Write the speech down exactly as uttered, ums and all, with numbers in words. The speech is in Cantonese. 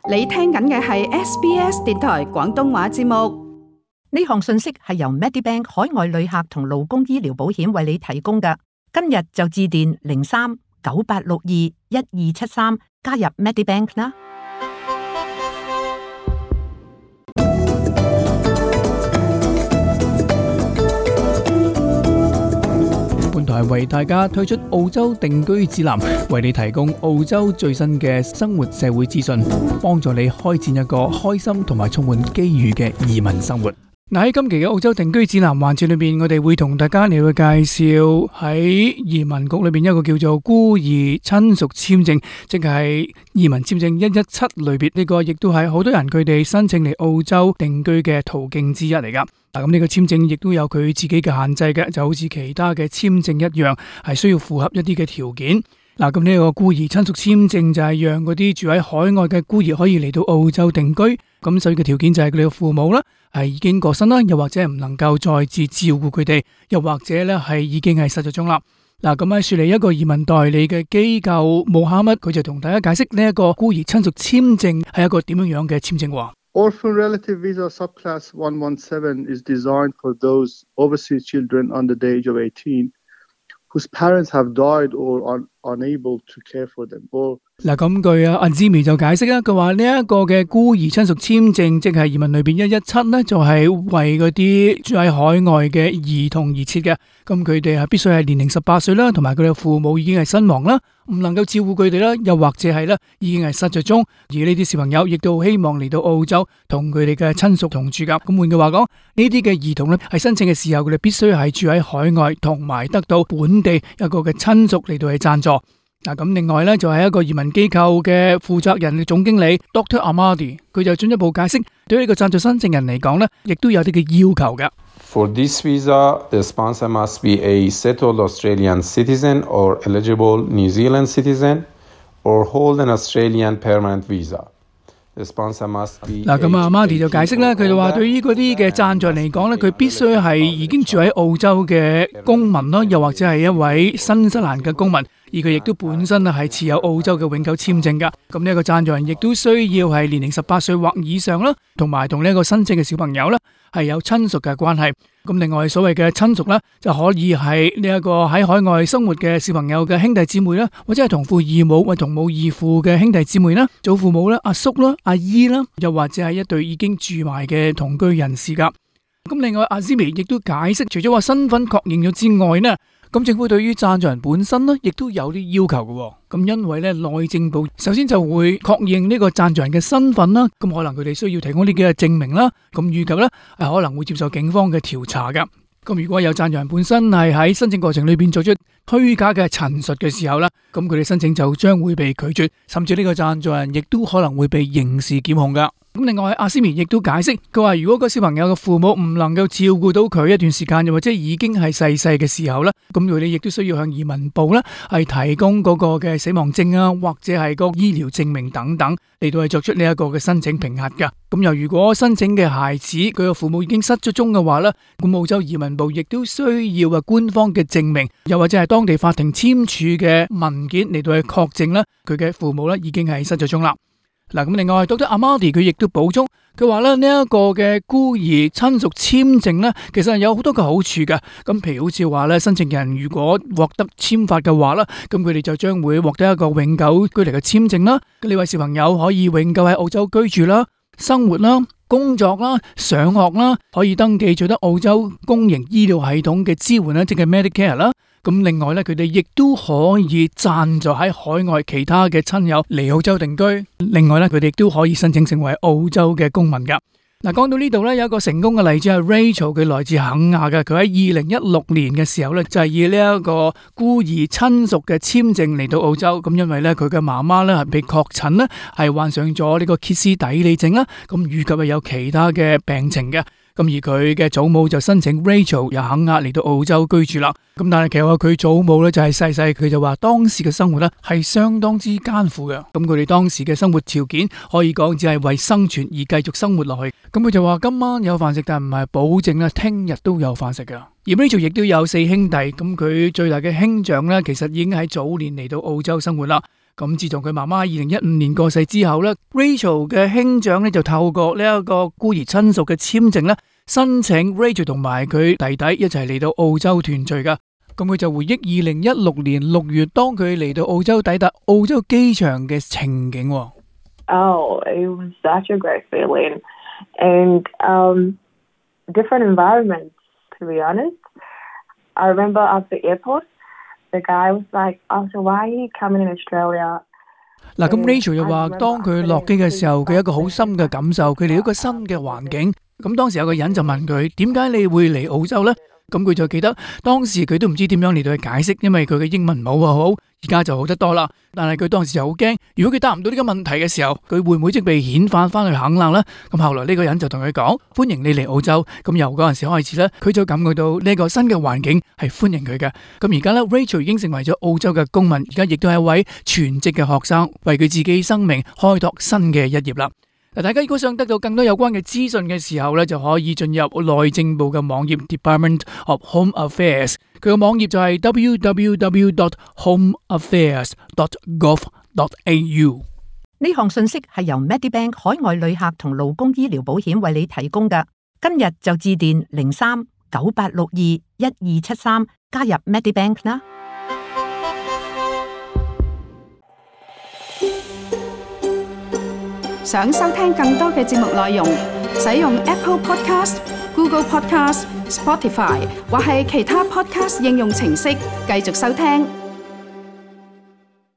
你聽緊嘅係 S B S 電台廣東話節目。呢項信息係由 Medibank 海外旅客同勞工醫療保險為你提供嘅。今日就致電零三九八六二一二七三加入 Medibank 啦。本台為大家推出澳洲定居指南，為你提供澳洲最新嘅生活社會資訊，幫助你開展一個開心同埋充滿機遇嘅移民生活。嗱，喺今期嘅澳洲定居指南環節裏邊，我哋會同大家嚟去介紹喺移民局裏邊一個叫做孤兒親屬簽證，即係移民簽證一一七類別，呢個亦都係好多人佢哋申請嚟澳洲定居嘅途徑之一嚟噶。嗱，咁呢個簽證亦都有佢自己嘅限制嘅，就好似其他嘅簽證一樣，係需要符合一啲嘅條件。嗱，咁呢個孤兒親屬簽證就係讓嗰啲住喺海外嘅孤兒可以嚟到澳洲定居。咁首要嘅條件就係佢哋嘅父母啦，係已經過身啦，又或者唔能夠再次照顧佢哋，又或者咧係已經係失咗蹤啦。嗱，咁喺雪梨一個移民代理嘅機構穆哈乜，佢就同大家解釋呢一個孤兒親屬簽證係一個點樣樣嘅簽證。Orphan Relative Visa Subclass one one seven is designed for those overseas children under the age of eighteen whose parents have died or are unable to care for them. Or 嗱，咁據啊阿 Jimmy 就解釋啦，佢話呢一個嘅孤兒親屬簽證，即係移民裏邊一一七咧，就係為嗰啲住喺海外嘅兒童而設嘅。咁佢哋係必須係年齡十八歲啦，同埋佢哋嘅父母已經係身亡啦，唔能夠照顧佢哋啦，又或者係咧已經係失咗蹤。而呢啲小朋友亦都希望嚟到澳洲同佢哋嘅親屬同住噶。咁換句話講，呢啲嘅兒童咧係申請嘅時候，佢哋必須係住喺海外，同埋得到本地一個嘅親屬嚟到去贊助。嗱，咁另外咧就係一個移民機構嘅負責人嘅總經理 Doctor Amadi， 佢就進一步解釋，對於呢個贊助申請人嚟講咧，亦都有啲嘅要求嘅。For this visa, the sponsor must be a settled Australian citizen or eligible New Zealand citizen or hold an Australian permanent visa. The sponsor must be 嗱，咁啊 Amadi 就解釋咧，佢就話對於嗰啲嘅贊助人嚟講咧，佢必須係已經住喺澳洲嘅公民啦，又或者係一位新西蘭嘅公民。而佢亦都本身啊係持有澳洲嘅永久簽證噶，咁呢一個贊助人亦都需要係年齡十八歲或以上啦，同埋同呢一個申請嘅小朋友啦係有親屬嘅關係。咁另外所謂嘅親屬啦，就可以係呢一個喺海外生活嘅小朋友嘅兄弟姊妹啦，或者係同父異母或同母異父嘅兄弟姊妹啦，祖父母啦、阿叔啦、阿姨啦，又或者係一對已經住埋嘅同居人士噶。咁另外阿 Zimi 亦都解釋，除咗話身份確認咗之外呢，咁政府對於贊助人本身呢，亦都有啲要求嘅。咁因為咧，內政部首先就會確認呢個贊助人嘅身份啦，咁可能佢哋需要提供呢幾個證明啦，咁預計咧係可能會接受警方嘅調查噶。咁如果有贊助人本身係喺申請過程裏邊做出虛假嘅陳述嘅時候咧，咁佢哋申請就將會被拒絕，甚至呢個贊助人亦都可能會被刑事檢控噶。咁另外阿斯米亦都解釋，佢話如果個小朋友嘅父母唔能夠照顧到佢一段時間，又或者已經係逝世嘅時候咧，咁佢哋亦都需要向移民部咧係提供嗰個嘅死亡證啊，或者係個醫療證明等等嚟到係作出呢一個嘅申請評核噶。咁又如果申請嘅孩子佢嘅父母已經失咗蹤嘅話咧，咁澳洲移民部亦都需要啊官方嘅證明，又或者係當地法庭簽署嘅文件嚟到去確證啦，佢嘅父母咧已經係失咗蹤啦。嗱，咁另外 Doctor Amadi 佢亦都補充，佢話咧呢一個嘅孤兒親屬簽證咧，其實係有好多嘅好處嘅。咁譬如好似話咧，申請人如果獲得簽發嘅話啦，咁佢哋就將會獲得一個永久居留嘅簽證啦。呢位小朋友可以永久喺澳洲居住啦、生活啦、工作啦、上學啦，可以登記取得澳洲公營醫療系統嘅支援啦，即係 Medicare 啦。咁另外咧，佢哋亦都可以贊助喺海外其他嘅親友嚟澳洲定居。另外咧，佢哋亦都可以申請成為澳洲嘅公民噶。嗱，講到呢度咧，有一個成功嘅例子係 Rachel， 佢來自肯亞嘅，佢喺二零一六年嘅時候咧，就係以呢一個孤兒親屬嘅簽證嚟到澳洲。咁因為咧，佢嘅媽媽咧係被確診咧係患上咗呢個歇斯底里症啦，咁以及係有其他嘅病情嘅。咁而佢嘅祖母就申請 Rachel 由肯亞嚟到澳洲居住啦。咁但係其實佢祖母咧就係細細，佢就話當時嘅生活咧係相當之艱苦嘅。咁佢哋當時嘅生活條件可以講只係為生存而繼續生活落去。咁佢就話今晚有飯食，但唔係保證咧聽日都有飯食嘅。而 Rachel 亦都有四兄弟，咁佢最大嘅兄長咧其實已經喺早年嚟到澳洲生活啦。咁自從佢媽媽二零一五年過世之後咧 ，Rachel 嘅兄長咧就透過呢一個孤兒親屬嘅簽證咧，申請 Rachel 同埋佢弟弟一齊嚟到澳洲團聚噶。咁佢就回憶二零一六年六月，當佢嚟到澳洲抵達澳洲機場嘅情景。Oh, it was such a great feeling, and um, different environments. To be honest, I remember at the airport, the guy was like, "Oh, so why are you coming in Australia?" 嗱，咁 Rachel 又話，當佢落機嘅時候，佢有一個好深嘅感受，佢嚟一個新嘅環境。咁當時有個人就問佢，點解你會嚟澳洲呢？咁佢就記得當時佢都唔知點樣嚟到去解釋，因為佢嘅英文唔係好好，而家就好得多啦。但係佢當時就好驚，如果佢答唔到呢個問題嘅時候，佢會唔會即被遣返翻去肯蘭呢？咁後來呢個人就同佢講，歡迎你嚟澳洲。咁由嗰陣時開始咧，佢就感覺到呢個新嘅環境係歡迎佢嘅。咁而家咧 ，Rachel 已經成為咗澳洲嘅公民，而家亦都係一位全職嘅學生，為佢自己生命開拓新嘅一頁啦。大家如果想得到更多有關嘅資訊嘅時候咧，就可以進入內政部嘅網頁 Department of Home Affairs， 佢嘅網頁就係 w w w dot home affairs dot gov dot a u。 呢項信息係由 Medibank 海外旅客同勞工醫療保險為你提供嘅。今日就致電零三九八六二一二七三加入 Medibank 啦。想收聽更多嘅節目內容，使用 Apple Podcast、Google Podcast、Spotify 或係其他 Podcast 應用程式繼續收聽。